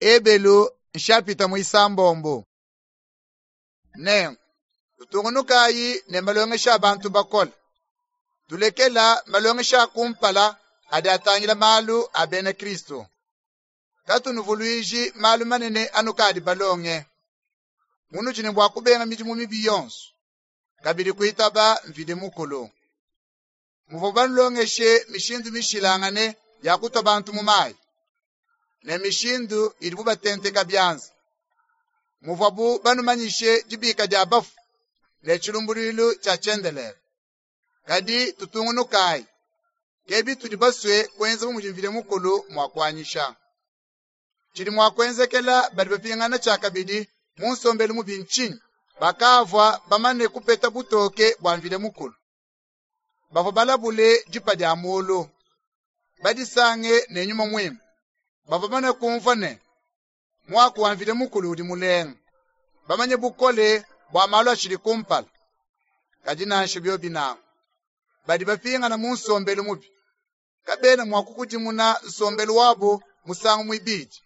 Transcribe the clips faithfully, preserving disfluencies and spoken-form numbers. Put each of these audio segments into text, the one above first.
Ebelu nshapita muisambombo. Nenku tutungunukayi ne malongesha a bantu bakole. Tulekela malongesha a kumpala adi atangila malu a bena Kristo. Katunuvuluiji malu manene anukadi balonge. Munudi ne bua kubenga midimu mibi yonso, kabidi kuitaba Mvidi Mukulu. Muvua banulongeshe mishindu mishilangane ya kutua bantu mu mayi, ne mishindu idibu batenteka bianza. Muvuabu banumanyishe dibika dia bafu ne tshilumbuluilu tshia tshiendelele. Kadi tutungunukayi, ke bitudi basue kuenza bu mudi Mvidi Mukulu mua kuanyisha. Tshidi mua kuenzekela badi bapingana tshiakabidi mu nsombelu mubi ntshinyi? Bakavua bamane kupeta butoke bua Mvidi Mukulu. Bavua balabule dipa dia mulu, badisange ne Nyuma Muimpe. Bavua bamane kumvua ne, muaku wa Mvidi Mukulu udi mulenga, bamanye bukole bua malu atshidi kumpala. Kadi nansha biobi nanku, badi bapingana mu nsombelu mubi. Kabena mua kukudimuna nsombelu wabu musangu muibidi,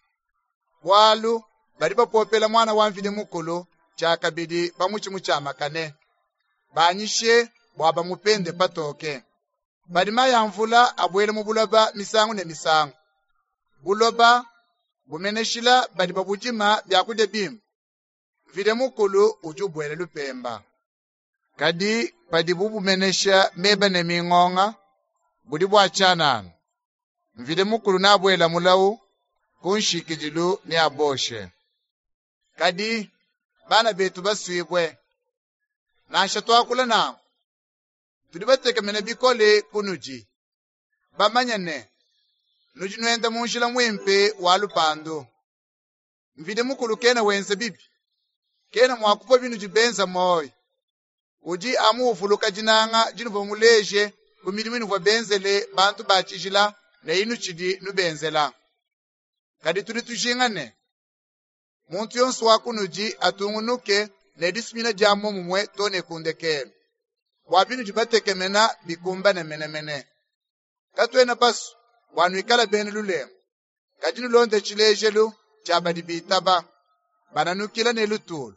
bualu badi bapopela muana wa Mvidi Mukulu tshiakabidi pa mutshi mutshiamakane, banyishe bua bamupende patoke. Padi mayi a mvula abuela mu buloba misangu ne misangu, buloba bumeneshila badi babudima biakudia bimpe. Mvidi Mukulu udi ubuela lupemba. Kadi padibu bumenesha meba ne mingonga, budi bua tshianana. Mvidi Mukulu neabuela mulawu, ku nshikidilu neaboshe. Kadi bana betu basuibue, nansha tuakula nanku, tudi batekemene bikole kunudi, bamanye ne, nudi nuenda mu njila muimpe wa lupandu. Mvidi Mukulu kena wenza bibi, kena mua kupua binudi benza muoyo. Udi amu uvuluka dinanga dinuvua muleje ku midimu inuvua benzele bantu ba tshijila ne inutshidi nubenzela. Kadi tudi tujinga ne, muntu yonso wa kunudi atungunuke ne disumina dia muomumue too ne ku ndekelu, bua binudi batekemena bikumbane menemene. Katuena basue bua nuikale bena lulengu, kadi nulonde tshilejelu tshia badi bitaba, bananukila ne lutulu,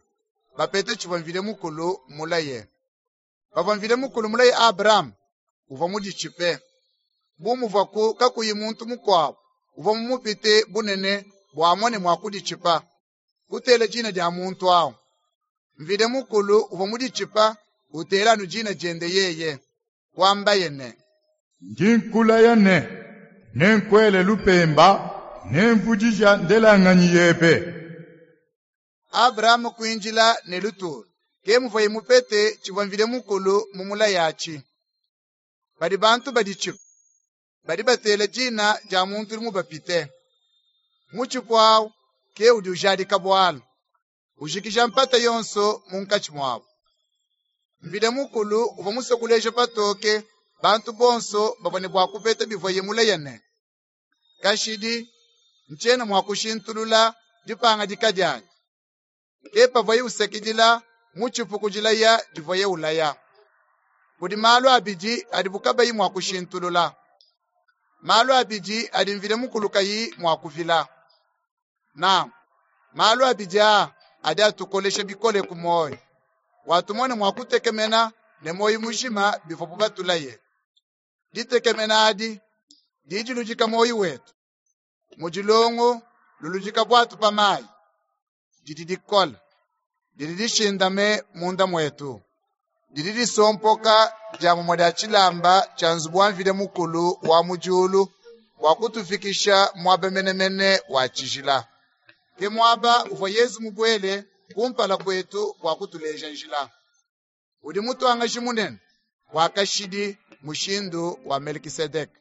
bapete tshivua Mvidi Mukulu mulaye. Pavua Mvidi Mukulu mulaye Abrahame, uvua muditshipe. Bu muvuaku kakuyi muntu mukuabu uvua mumupite bunene bua amone mua kuditshipa, kutela dina dia muntu awu. Mvidi Mukulu uvua muditshipa utela anu dina diende yeye, kuambaye ne, Ndi nkulaya ne, nenkuele lupemba, nemvudija ndelanganyi yebe. Abrahame kuindila ne lutulu, ke muvuaye mupete tshivua Mvidi Mukulu mumulaye atshi. Padi bantu baditshipa, badi batela dina dia muntu udi mubapite. Mutshipu awu ke udi ujadika bualu, ujikija mpata yonso munkatshi muabu. Mvidi Mukulu uvua musue kuleja patoke bantu bonso bavua ne bua kupeta bivuaye mulaye ne, kashidi ntshiena mua kushintulula dipangadika dianyi. Ke pavuaye usakidila mutshipu ku dilaya divuaye ulaya. Kudi malu abidi adibu kabayi mua kushintulula, malu abidi adi Mvidi Mukulu kayi mua kuvila. Nanku malu abidi aa adi atukolesha bikole ku muoyo, bua tumone mua kutekemena ne muoyo mujima bivuabu batulaye. Ditekemena adi didi diludika muoyo wetu, mudi longo luludika buatu pa mayi, didi dikola, didi dishindame munda muetu, didi disompoka dia mumue dia tshilamba tshia nzubu wa Mvidi Mukulu wa mu diulu bua kutufikisha muaba menemene wa tshijila. Ke muaba uvua Yezu mubuele kumpala kuetu bua kutuleja njila. Udi mutuangaji munene wa kashidi mushindu wa Melkisedeke.